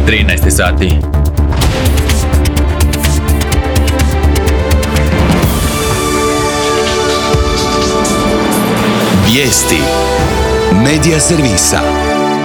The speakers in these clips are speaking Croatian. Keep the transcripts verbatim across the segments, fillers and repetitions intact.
trinaest sati. Vijesti Medija servisa.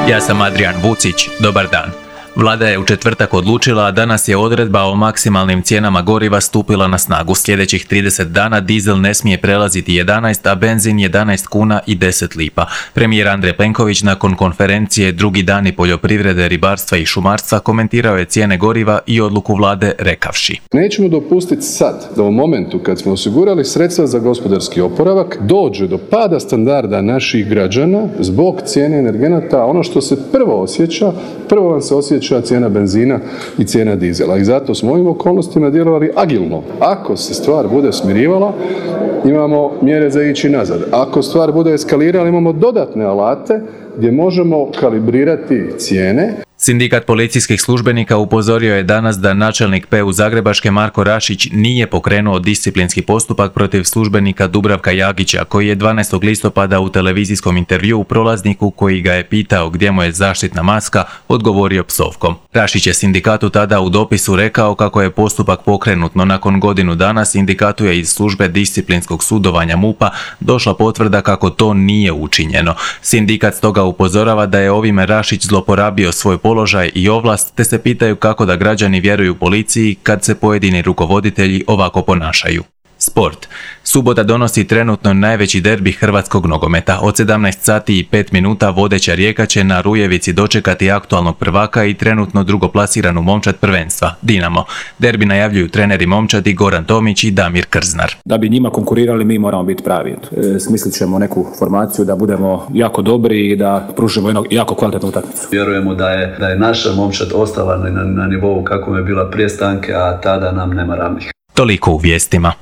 Ja sam Adrian Vucić, dobar dan. Vlada je u četvrtak odlučila, a danas je odredba o maksimalnim cijenama goriva stupila na snagu. Sljedećih trideset dana dizel ne smije prelaziti jedanaest, a benzin jedanaest kuna i deset lipa. Premijer Andrej Plenković nakon konferencije Drugi dani poljoprivrede, ribarstva i šumarstva komentirao je cijene goriva i odluku vlade rekavši: Nećemo dopustiti sad da u momentu kad smo osigurali sredstva za gospodarski oporavak dođe do pada standarda naših građana zbog cijene energenata. Ono što se prvo osjeća, prvo vam se osjeća cijena benzina i cijena dizela. I zato smo u ovim okolnostima djelovali agilno. Ako se stvar bude smirivala, imamo mjere za ići nazad. Ako stvar bude eskalirala, imamo dodatne alate gdje možemo kalibrirati cijene. Sindikat policijskih službenika upozorio je danas da načelnik P U Zagrebačke Marko Rašić nije pokrenuo disciplinski postupak protiv službenika Dubravka Jagića, koji je dvanaestog listopada u televizijskom intervjuu prolazniku koji ga je pitao gdje mu je zaštitna maska odgovorio psovkom. Rašić je sindikatu tada u dopisu rekao kako je postupak pokrenut, no nakon godinu dana sindikatu je iz službe disciplinskog sudovanja MUP-a došla potvrda kako to nije učinjeno. Sindikat stoga upozorava da je ovime Rašić zloporabio svoj položaj i ovlast, te se pitaju kako da građani vjeruju policiji kad se pojedini rukovoditelji ovako ponašaju. Sport. Subota donosi trenutno najveći derbi hrvatskog nogometa. Od sedamnaest sati i pet minuta vodeća Rijeka će na Rujevici dočekati aktualnog prvaka i trenutno drugoplasiranu momčad prvenstva, Dinamo. Derbi najavljuju treneri momčadi Goran Tomić i Damir Krznar. Da bi njima konkurirali, mi moramo biti pravi. E, smislit ćemo neku formaciju da budemo jako dobri i da pružimo jednu jako kvalitetnu utakmicu. Vjerujemo da je, da je naša momčad ostala na, na nivou kako je bila prije stanke, a tada nam nema ravnih. Toliko u vijestima.